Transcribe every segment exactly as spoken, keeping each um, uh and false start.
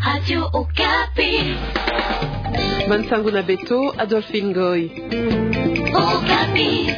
Radio Okapi. Bansangu na beto, Adolphine Ngoy. Okapi.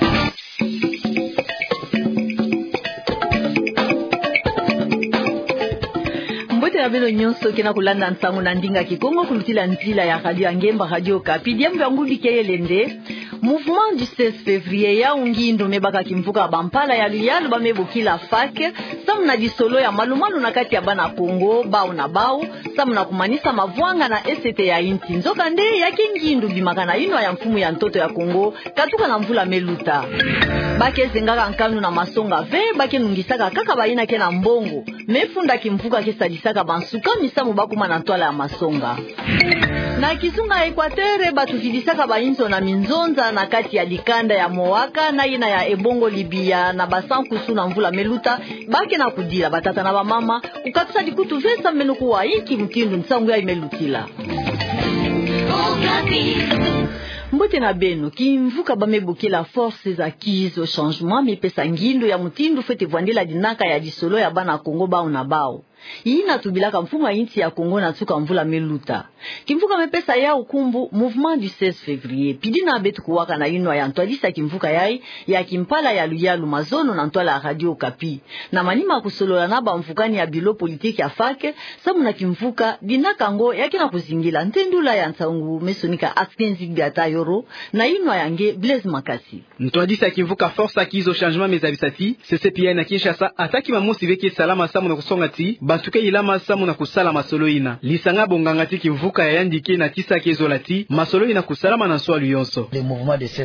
Mbote na beno nyonso ke na kulanda nsangu na ndinga Kikongo kulutila nzila ya radio ya ngemba, Radio Okapi. Diambu ya ngubi kele nde: mouvement du seize février, yau ngindu me baka kimvuka ya bampala ya luyalu ba me bokila FAK, samu na lisolo ya malu-malu na kati ya bana Kongo bau na bau, samu na kumanisa mavwanga na esete ya insi. Nzokande, ya ke ngindu bimaka na yinwa ya mfumu ya ntoto ya Kongo, katuka na mvula me luta. Ba ke zengaka nkanu na masonga ve, ba ke nungisaka kaka bayina ke na mbongo. Me funda kimvuka ke sadisaka bansuka misamu ba kuma na ntwala ya masonga. Na kizunga ya Equateur, bato vidisaka bayinzo na minzonza na kati ya dikanda ya Moaka na yina ya Ebongo Libya na basankusu na mvula me luta, ba ke na kudila batata na bamama kukatusa likutu ve samu meno kuwa inki mutindu nsangu yayi me lutila. Mbote na beno. Kimvuka ba me bokila Forces Acquises au Changement me pesa ngindu ya mutindu fwete vwandila dinaka ya lisolo ya bana Kongo bau na bau. Yina tubilaka mfumu ya insi ya Kongo na nsuka mvula me luta. Kimvuka me pesa yau nkumbu Mouvement du seize février. Pidi na beto kuwaka na yinwa ya ntwadisi ya kimvuka yayi ya kimpala ya luyalu mazono na ntwala ya Radio Okapi. Na manima kusolola na bamvukani ya bureau politique ya FAK, samu na kimvuka, dinaka yango ya ke na kuzingila. Ntendula ya nsangu me sonika Askenzi Biata Yoro, na yinwa ya nge Blaise Makasi. Ntwadisi ya kimvuka Forces Acquises au Changement me zabisa ti, C C P I na Kinshasa, ataki mamosi ve ke salama samu na kusonga ti bantu ke yilama samu na kusala masolo yina. Lisanga bonganga ti kimvuka ya yandi ke na tisa ke zola ti masolo yina kusalama na nswalu yonso.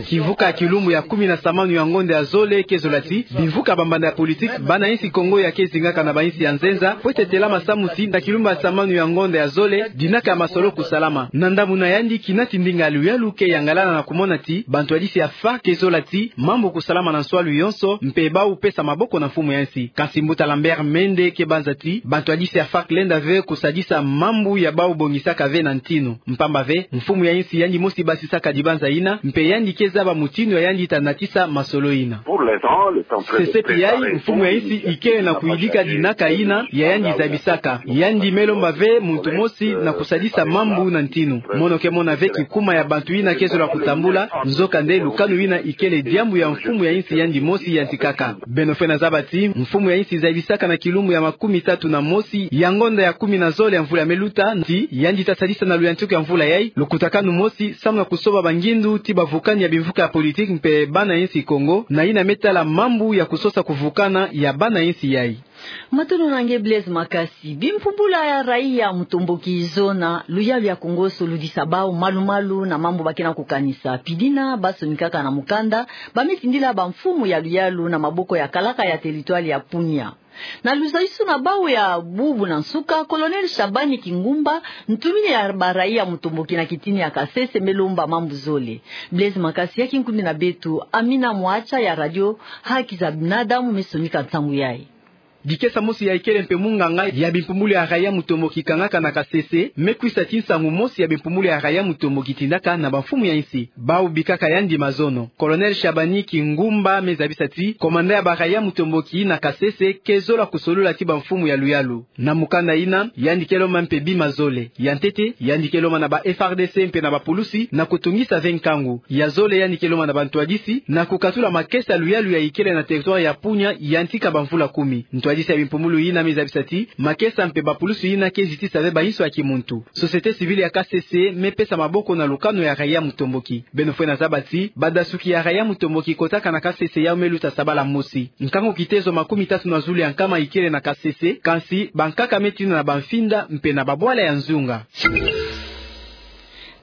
Kimvuka ya kilumbu ya kumi na samanu ya ngonda ya zole ke zola ti bimvuka bambanda ya politique, bana insi Kongo ya ke zingaka na bainsi ya nzenza, fwete telama samu ti na kilumbu ya samanu ya ngonda ya zole, dinaka ya masolo kusalama. Na ndambu na yandi, kinati ndinga ya luyalu ke yangalala na kumona ti bantwadisi ya FAK ke zola ti mambu kusalama na nswalu yonso, mpe bau pesa maboko na mfumu ya insi. Kansi mbuta Lambert Mende ke banza ti bantwadisi ya FAK lenda ve kusadisa mambu ya bau bongisaka ve na ntinu. Mpamba ve, mfumu ya insi yandi mosi basisaka dibanza yina, mpe yandi ke zaba mutindu ya yandi ta natisa masolo yina. C C P I, mfumu ya insi ikele na kuyidika dinaka yina ya yandi zabisaka. Yandi me lomba ve muntu mosi na kusadisa mambu na ntinu. Mono ke mona ve kikuma ya bantu yina ke zola kutambula, nzokande lukanu yina ikele diambu ya mfumu ya insi yandi mosi yantikaka. Beno fwete zaba ti mfumu ya insi zabisaka na kilumbu ya makumi tatu na mosi ya ngonda ya kumi na zole ya mvula me luta ti yandi ta sadisa na luyantiku ya mvula yayi lukutakanu mosi samu na kusoba bangindu ti bavukani ya bimvuka ya politique mpe bana insi Kongo, na yina me tala mambu ya kusosa kuvukana ya bana insi yayi. Matondo na nge Blaise Makasi. Bimpumbulu ya raia mutomboki zona luyalu ya Kongo soludisa bau malu-malu na mambu ba ke na kukanisa. Pidi na ba sonikaka na mukanda, ba me tindila bamfumu ya luyalu na maboko ya kalaka ya territoire ya Punya. Na luzolisu na bau ya bubu na nsuka, Colonel Shabani Kingumba, ntumini ya baraia mutomboki na kitini ya Kasese, me lomba mambu zole. Blaise Makasi, ya kinkundi na beto Amina Mwacha ya Radio Haki za Binadamu me sonika nsangu yayi. Dikesa mosi ya ikele mpe munganga ya bimpumbulu ya raia mutomboki kangaka na Kasese, me kwisa ti nsangu mosi ya bimpumbulu ya raia mutomboki tindaka na bamfumu ya insi. Bau bikaka yandi mazono. Colonel Shabani Kingumba me zabisa ti commandant ya baraia mutomboki na Kasese ke zola kusolola ti bamfumu ya luyalu. Na mukanda yina, yandi ke lomba mpe bima zole. Ya ntete, yandi ke lomba na ba F A R D C mpe na bapulusi na kutungisa ve nkangu. Ya zole, yandi ke lomba na bantwadisi na kukatula makesa ya luyalu ya ikele na territoire ya Punya yantika bamvula kumi. Ntwadisi ya bimpumbulu yina me zabisa ti makesa mpe bapulusi yina ke zitisa ve bainso ya kimuntu. Société civile ya Kasese me pesa maboko na lukanu ya raia mutomboki. Beno fwete zaba ti badasuki ya raia mutomboki kotaka na Kasese yau me luta sabala mosi. Nkangu kitezo makumi tatu na zulu ya nkama ikele na Kasese, kansi bankaka me tina na bamfinda mpe na babwala ya nzunga.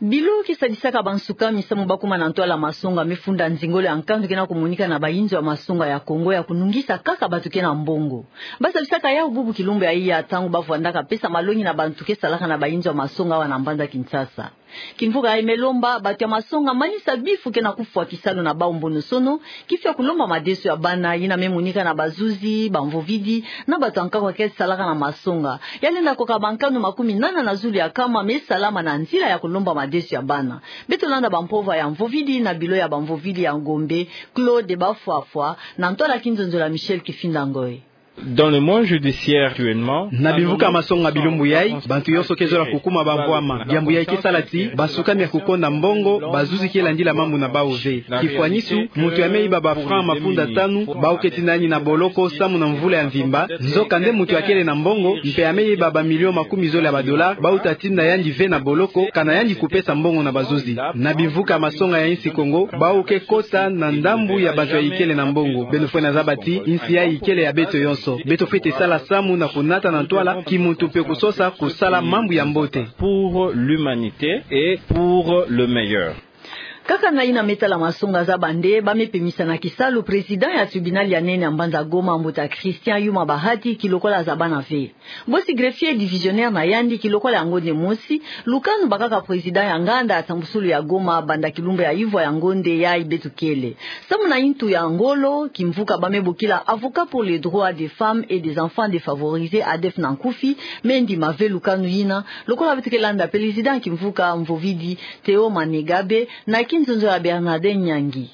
Bilo ke sadisaka bansuka misamu ba kuma na ntwala masonga me funda nzingolo ya nkandu ke na kumonika na bainzo ya masonga ya Kongo ya kunungisa kaka bato ke na mbongo. Ba sadisaka yau bubu kilumbu ya iya, ntangu ba vwandaka pesa malongi na bato ke salaka na bainzo ya masonga awa na mbanza Kinshasa. Kimvuka yayi me lomba bato ya masonga manisa bifu ke na kufwa kisalu na bau mbono-sono, kifu ya kulomba madeso ya bana, yina me monika na bazuzi, bamvovidi, na bato ya nkaka ke salaka na masonga. Ya lenda koka bankanu makumi nana na zulu ya nkama me salama na nzila ya kulomba madeso ya bana. Beto landa bampova ya mvovidi na bilo ya bamvovidi ya Gombe, Claude Bafwafwa, na ntwala kinzonzolo ya Michel Kifinda Ngoy. Dans le mois judiciaire actuellement, na bimvuka masonga bilumbu yai, bantu yonso ke zola kukuma bamvwama. Diambu yai ke sala ti basukami ya kukonda mbongo, bazuzi ke landila mambu na bau ve. Kifwanisu, muntu ya me iba ba francs mafunda tanu, bau ke tinda yandi na boloko samu na mvula ya mvimba. Nzokande muntu ya kele na mbongo, mpe ya me iba ba millions makumi zole ya ba dollars, bau ta tinda yandi ve na boloko, kana yandi kupesa mbongo na bazuzi. Na bimvuka masonga ya insi Kongo, bau ke kota na ndambu ya bantu ya ikele na mbongo. Beno fwene zaba ti insi yai ikele ya beto yonso. Beto fwete sala samu na kunata na ntwala kimuntu mpe kusosa kusala mambu ya mbote. Pour l'humanité et pour le meilleur. Kaka na yina me tala masonga za bande, ba me pemisa na kisalu président ya tribunal ya nene ya mbanza Goma, mbuta Christian Yuma Bahati, ki lokola zabana ve. Bosi greffier divisionnaire na yandi ki lokola ya ngonde mosi, lukanu bakaka président ya nganda ya nsambusulu ya Goma banda kilumbu ya ivwa ya ngonde yai beto kele. Samu na intu ya ngolo, kimvuka ba me bokila Avocats pour les droits des femmes et des enfants défavorisés, ADEFES na nkufi, me ndima ve lukanu yina, lokola beto ke landa président kimvuka Mvovidi Théo Manégabe, na kinzonzo ya Bernardin Nyangi.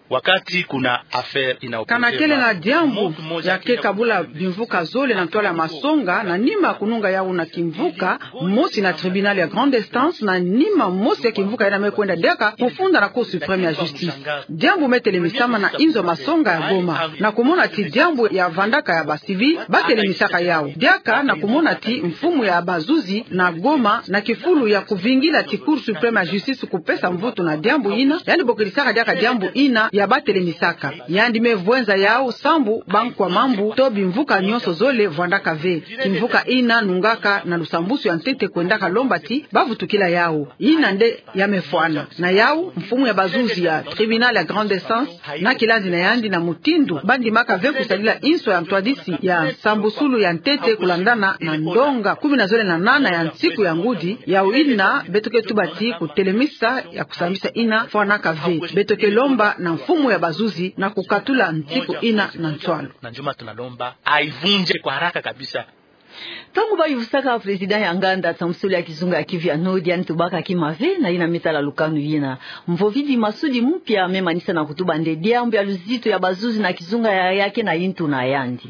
Wakati kuna affaire ina, kana kele na diambu ya ke kabula bimvuka zole na ntwala ya masonga, na nima kununga yau na kimvuka mosi na tribunal ya grande instance, na nima mosi ya kimvuka yina me kwenda diaka kufunda na Cour suprême ya justice. Diambu me telemisama na inzo masonga ya Goma, na kumona ti diambu ya vandaka ya ba civils ba telemisaka yau. Diaka na kumona ti mfumu ya bazuzi na Goma na kifulu ya kuvingila ti Cour suprême ya justice kupesa mvutu na diambu ina, yandi bokilisaka diaka diambu ina ya ba telemisaka. Yandi me vwenza yau sambu bankwa mambu to bimvuka nyonso zole vwandaka ve. Kimvuka ina nungaka na lusambusu ya ntete kwendaka lomba ti ba vutukila yau. Ina nde ya me fwana. Na yau, mfumu ya bazuzi ya tribunal ya grande instance na kilandi na yandi na mutindu ba ndimaka ve kusadila inso ya ntwadisi ya nsambusulu ya ntete kulandana na ndonga kumi na zole na nana ya nsiku ya ngudi, yau ina beto ke tuba ti kutelemisa ya kusambisa ina fwanaka ve. Beto ke lomba na mfumu ya bazuzi na kukatula nsiku ina na ntwala. Na njuma tunalomba aivunje kwa haraka kabisa. Ntangu ba yuvusaka président ya nganda nsambusulu ya kizunga ya Kivu ya Nord, yandi tubaka kima ve na yina me tala lukanu yina. Mvovidi Masudi Mupia me manisa na kutuba nde diambu ya luzitu ya bazuzi na kizunga ya yai ke na intu na yandi.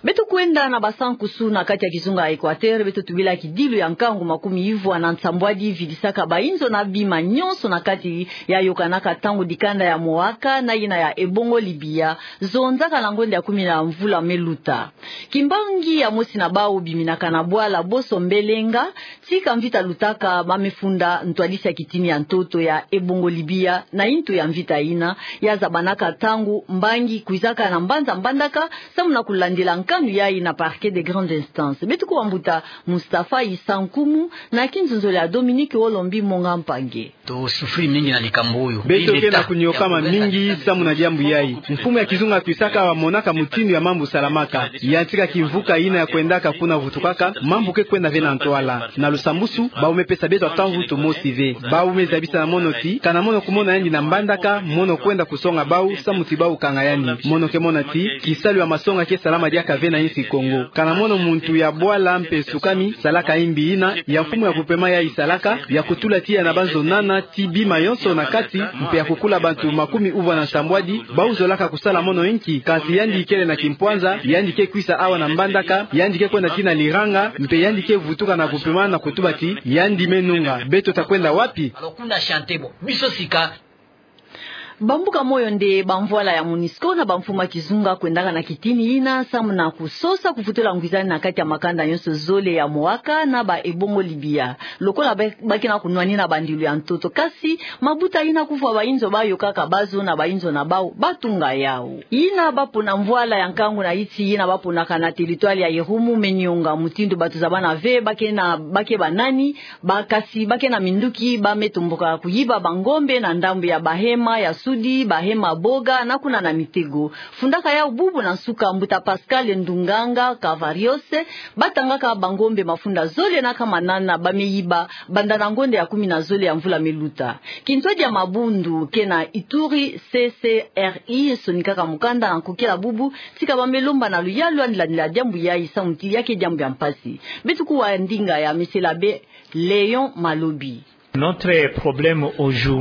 Beto kwenda na basankusu na kati ya kizunga ya Équateur, beto tubila kidilu ya nkangu makumi ivwa na nsambwadi vidisaka bainzo na bima nyonso na kati ya yokanaka ntangu dikanda ya Moaka na yina ya Ebongo Libia zonzaka na ngonda ya kumi na mvula me luta. Kimbangi ya mosi na bau biminaka na bwala Boso Mbelenga, tika mvita lutaka, ba me funda ntwadisi ya kitini ya ntoto ya Ebongo Libia na intu ya mvita ina ya zabanaka ntangu mbangi kwizaka na mbanza Mbandaka, samu na kulandila nkanu yai na parquet de grande instance. Beto kuwa mbuta Mustapha Issa Nkumu na kinzonzolo ya Dominique Olombi Monga Mpangi. Tosufri mingi na likambo oyo. Beto ke na kunyokama mingi samu na diambu yai. Mfumu ya kizunga twisaka bamonaka mutindu ya mambu salamaka. Yantika kimvuka ina ya kwendaka kuna vutukaka, mambu ke kwenda ve na ntwala. Na lusambusu, bau me pesa beto ata mvutu mosi ve. Bau me zabisa na mono ti, kana mono kumona yandi na Mbandaka, mono kwenda kusonga bau, samu ti bau kanga yandi. Mono ke mona ti kisalu ya masonga ke salama diaka ve na insi Kongo. Kana mono muntu ya bwala mpe sukami, salaka imbi ina ya mfumu ya kupema yai salaka, ya kutula tiya na banzo nana ti bima yonso na kati, mpe ya kukula bantu makumi uvwa na nsambwadi, bau zolaka kusala mono inki, kansi yandi ikele na kimpwanza, yandi ke kwisa awa na Mbandaka, yandi ke kwenda tii na Liranga, mpe yandi ke vutuka na kupema na kutuba ti yandi me nunga. Beto ta kwenda wapi? Alors, kuna chante bo, biso sika. Bambuka moyo nde bamvwala ya MONUSCO na bamfumu ya kizunga kwendaka na kitini ina, samu na kusosa kuvutula ngwizani na kati ya makanda nyonso zole ya Moaka na ba Ebongo Libia. Lokola ba, ba ke na kunwanina bandilu ya ntoto, kasi mabuta ina kuvwa bainzo ba yokaka bazo na bainzo na bau, ba tunga yau. Ina ba pona mvwala ya nkangu na iti ina ba ponaka na territoire ya Irumu me nionga mutindu bato zabana ve, ba ke na, ba ke banani, ba kasi ba ke na minduki, ba me tomboka kuyiba bangombe na ndambu ya Bahema ya Sudi, Bahema Boga, na kuna na Mitego. Fundaka yau bubu na nsuka mbuta Pascal Ndunganga Cavarios, ba tangaka bangombe mafunda zole na nkama nana ba me yiba, banda na ngonda ya kumi na zole ya mvula me luta. Kintwadi ya mabundu ke na Ituri, C C R I sonikaka mukanda na nkokila bubu, tika ba me lomba na luyalu yandi landila diambu yai samu ti ya ke diambu ya mpasi. Beto kuwa ndinga ya Monsieur l'Abbé Léon Malobi.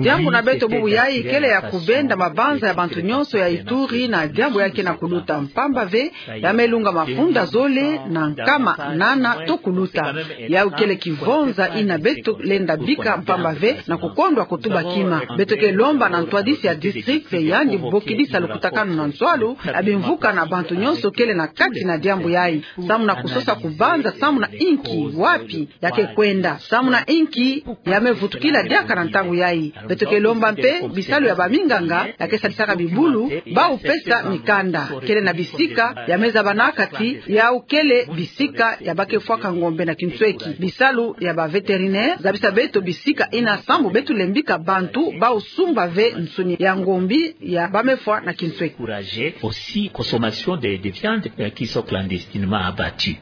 Diambu na beto bubu yayi kele ya kubenda mabanza ya bantu nyonso ya Ituri na diambu ya ke na kuluta, mpamba ve ya me lunga mafunda zole na nkama nana to kuluta. Yawu kele kivonza ina beto lenda bika, mpamba ve na kukondwa kutuba kima. Beto ke lomba na ntwadisi ya district, yandi bokidisa lukutakanu na nswalu, abimvuka na bantu nyonso kele na kati na diambu yayi. Samu na kusosa kubanza samu na inki, wapi ya ke kwenda, samu na inki ya me vutukila diaka na ntangu yayi. Beto ke lomba mpe bisalu ya baminganga ya ke sadisaka bibulu, bawu pesa mikanda. Kele na bisika ya me zabanaka ti yawu kele bisika ya ba ke fwaka ngombe na kinsweki. Bisalu ya ba vétérinaire zabisa beto bisika ina sambu beto lembika bantu bawu sumba ve nsuni ya ngombe ya ba me fwa na kinsweki. Encourager aussi consommation de, de viande, euh, qui sont clandestinement abattues.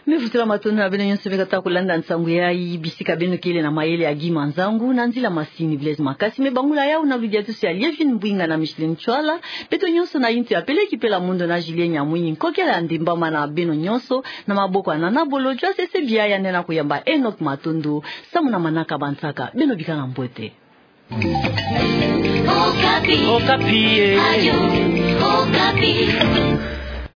Me vutula matondo na beno nyonso beno kata kulanda nsangu yayi bisika beno kele na mayele ya Guy Manzangu, na nzila masini Blaise Makasi, me bangula yawu na ludiatusu ya Lievine Mbwinga na Micheline Ntshwala. Beto nyonso na yintu ya Peleki Pela Mondo na Julien Nyamwinyi, nkokela ya Ndimba, mana beno nyonso na maboko ya Nana Bolodjwa, sese bia ya nena kuyamba Enoch Matondo, samu na manaka bansaka. Beno bikana mbote. Okapi. Okapi, eh. Radio Okapi.